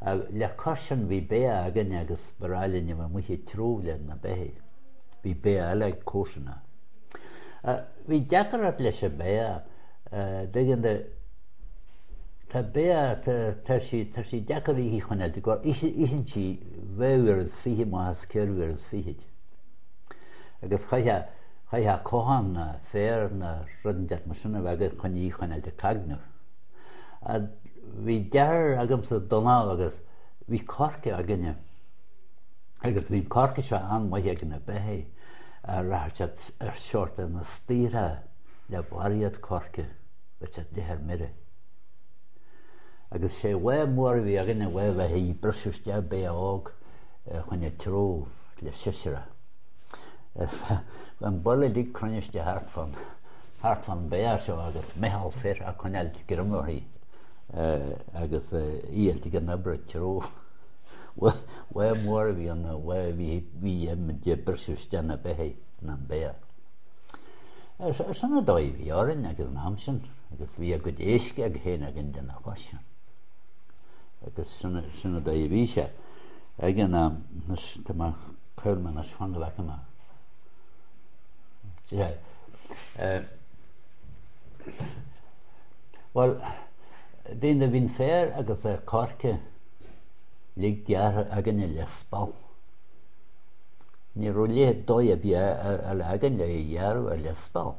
Le cois sin bhí beithe againne agus ba ghnách linn a bheith amuigh ag treabhadh le na beithígh. Bhí beithe eile ag comharsana. Bhí deacracht leis an beithe, dtuigeann tú, tá beithe, tá sí, tá sí deacair í a choinneáil, itheann sí dhá uair is fiche amach as ceithre uair is fichid. Agus chaithfeá, chaithfeá cochán ná féar ná rud inteacht mar sin a bheith agat chun í a choinneáil ag cagnú. Bhí deartháir agamsa, Dónal, agus bhí coirce againne agus bhí an coirce seo an-mhaith ag na beithígh, rachadh siad ar seort ar na staortha le barraíocht coirce, bheadh siad leath ar mire. Agus sé bha mór a bhí againne, bha bheith ag briseadh isteach beithe óg chun an treabhadh le seisear. Bheadh an baile uilig cruinniste thart fán thart fán beithe seo agus meitheal fir ag coinneáil greim uirthi agus í ag an obair ag treabhadh. Bha mór a bhí ann, bha bhí bhí muid ag briseadh isteach na beithígh ná an beithe. Sin an dóigh a bhí orainn ag an am sin agus bhí a gcuid éisc ag féin againn lena chois sin. Agus sin sin an dóigh a bhí sé ag an am. Anois tá mé cuir mé anois fan go bhfeicfidh mé. Bhuel, daoine, bhí an féar agus an coirce uilig gearrtha againne le speal. Ní raibh leithéid dóigh ar bith eile againn le é a ghearradh ach le speal.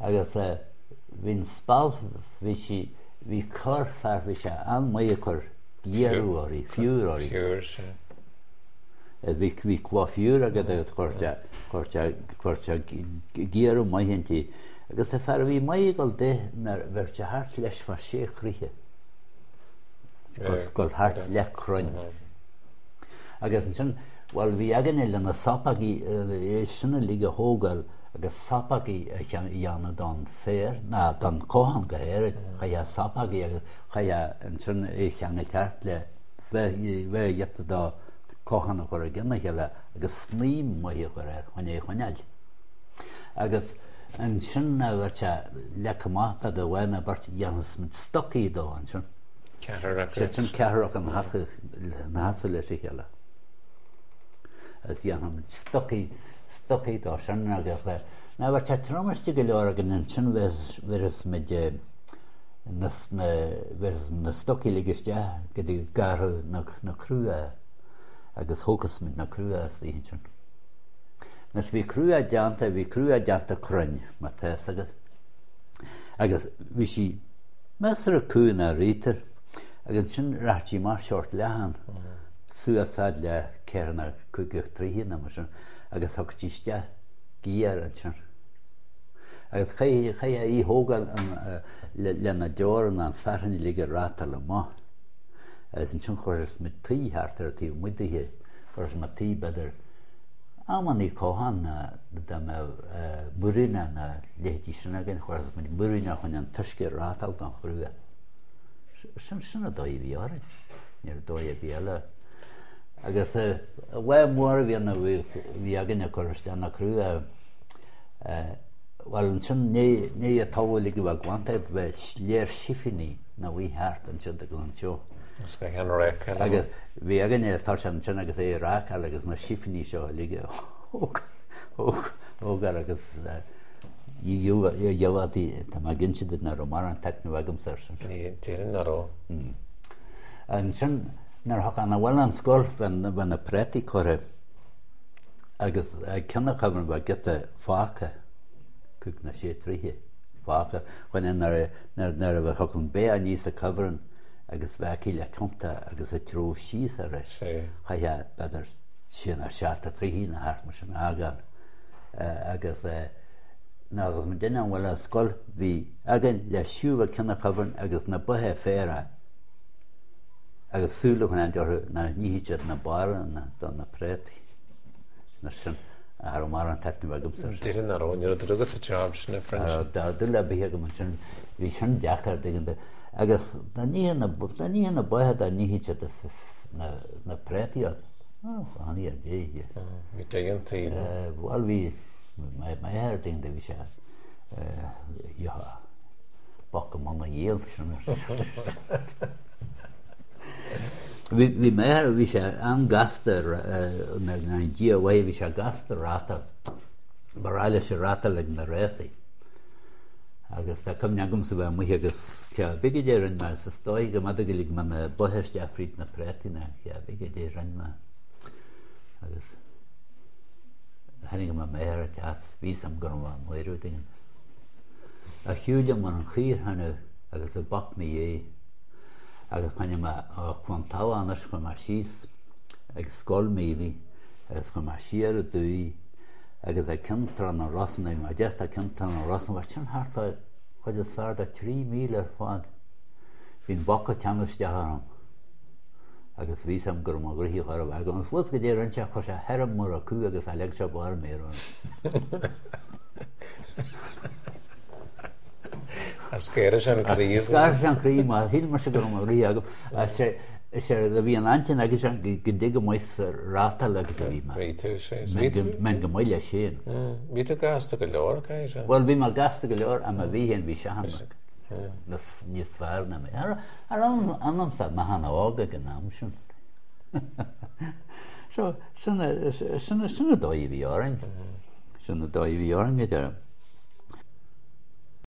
Agus bhí an speal, bhí sí, bhí corrfhear, bhí sé an-mhaith ag cur giorrú uirthi, fiúr uirthi. Fiúr, sea. Bhí, bhí cloch fiúr agat agus chuir sé, chuir sé, chuir sé giorrú maith inti. Agus an fear a bhí maith ag dul di nuair bheadh sé thart leis fá sé throithe. Gul thart le crainn. Agus ansin, bhuel, bhí againne le na sopógaí, é sin uilig a thógáil agus sopógaí a dhéanamh don féar, ná don cochán go háirid, chaithfeá sopógaí agus chaithfeá ansin é a cheangal thart le bheith giota do cochán a chur i gcionn a chéile agus snaidhm mhaith a chur air chun é a choinneáil. Agus ansin nuair a bheadh sé leagtha amach b'fhéidir lá nó beirt dhéanfas muid stocaí dó ansin. Ceathrar acu. Sé sin ceathrar acu ina sheasamh leis a chéile. Agus dhéanfadh muid stocaí, stocaí dó sin agus nuair a bheadh sé trom istigh go leor againn ansin bhéarfas muid na, na, bhéarfas na stocaí uilig isteach go dtí garradh na, na crua agus thógfas muid na crua istoíche ansin. Anois bhí crua déanta, bhí crua déanta cruinn, má tá fhios agat. Agus bhí sí measartha cúng ná rítar, agus ansin rachadh sí amach seort leathan, suas fhad le ceithre nó cúig troithe nó mar sin, agus thiocfadh sí isteach géar ansin. Agus chaithfeá í thógáil lena deora ná an fearthainn uilig a reáchtáil amach. Agus ansin chuirfeadh muid tuí thart ar an taobh amuigh dithe, chuirfeadh muid tuí b'fhéidir amannaí cochán dá mbeadh múiríneach nó leithéidí sin againn, chuirfeadh muid múiríneach chun an t-uisce a reáchtáil don chrua. Sin, sin an dóigh a bhí orainn. Ní raibh dóigh ar bith eile. Agus lá mór a bhí ann a bhí againn ag cur isteach na crua, bhuel ansin ní an taobh uilig a bheith glanta, bheadh léir sifíní ina luí thart ansiúd agus anseo. Agus bhí againne tá sé ansin agus é ag rácáil agus na sifíní seo uilig a thógáil agus gheobhaidh tá mé ag inse duit nach raibh mórán taitneamh agamsa air sin. Déarfainn nach raibh. Ansin nuair a thiocfá abhaile ón scoil bheadh na préataí curtha agus ag ceann an chuibhrinn bheadh giota fágtha, cúig nó sé troithe fágtha, chun nuair a bheadh an bheith aníos an cuibhreann agus bheadh aici le tiontú agus ag treabhadh síos arís. Chaithfeá b'fhéidir sé nó seacht troithe nó thart mar sin a fhágáil. Agus nuair a bhí muid abhaile ón scoil bhí againn le siúl go ceann an chuibhrinn agus na ba ag féarach agus súil a choinneáil orthu nach n-ithfeadh siad na barra de na préataí. Mar sin, cha raibh mórán taitneamh agamsa air sin. Déarfainn nach raibh, ní raibh dúil agat sa job sin, a French. Cha raibh dúil ar bith agam ansin, bhí sin deacair, tuigeann tú. Agus dá n-itheadh na, dá n-itheadh na ba, dá n-itheadh siad na, na préataí ort, ó, a Dhia. Bhí dóigh an tsaoil. Bhuel, bhí, m'athair, tuigeann tú, bhí sé, gheobhthá boc i mbun a ghiall, sin. Bhí m'athair, bhí sé an-gasta na Dia uaidh, bhí sé gasta rátáil. Ba ghnách leis ag rátáil ag na rásaí. Agus tá cuimhne agamsa bheith amuigh agus cé bith goidé a rinne mé, is dóigh go mb'fhéidir go lig mé na ba isteach fríd na préataí nó cé bith goidé a rinne mé. Agus tháinig mé m'athair ag teacht, bhí fhios a'm go raibh mé amuigh rud éigin. A shiúil liom ar an chaor cheana agus ag bac mo dhiaidh agus choinnigh mé ó Cluain Tarbh anois chuaigh mé síos ag Scoil Mhíobhaigh agus chuaigh mé siar aduaidh agus ag Ceann Trá na Rosann, bhí mé just ag Ceann Trá na Rosann, bheadh sin thart fá chuid is fearr de 3 míle ar fad. Bhí an boc ag teannadh isteach orm agus bhí fhios a'm go raibh mo ghraithe chóir a bheith agam. Agus bhfuil goidé a rinne sé, chuir sé thirim mar a cú agus a leag sé barr méar orm. Scaoireadh sé an croí. Scaoireadh sé an croí mar shíl mise go raibh mo ghraithe agam. Is é a bhí an intinn aige sin go dtig go maith sa rátáil agus a bhí mé. Bhí tú, sé. Bheinn go maith leis féin. Bhí tú gasta go leor, caithfidh sé. Bhuel, bhí mé gasta go leor, ach má bhí féin, bhí Seán níos fearr ná mé. Ar anamsa, mé an-óg ag an am sin. So, sin an dóigh a bhí orainn. Sin an dóigh a bhí orainn, a deirim.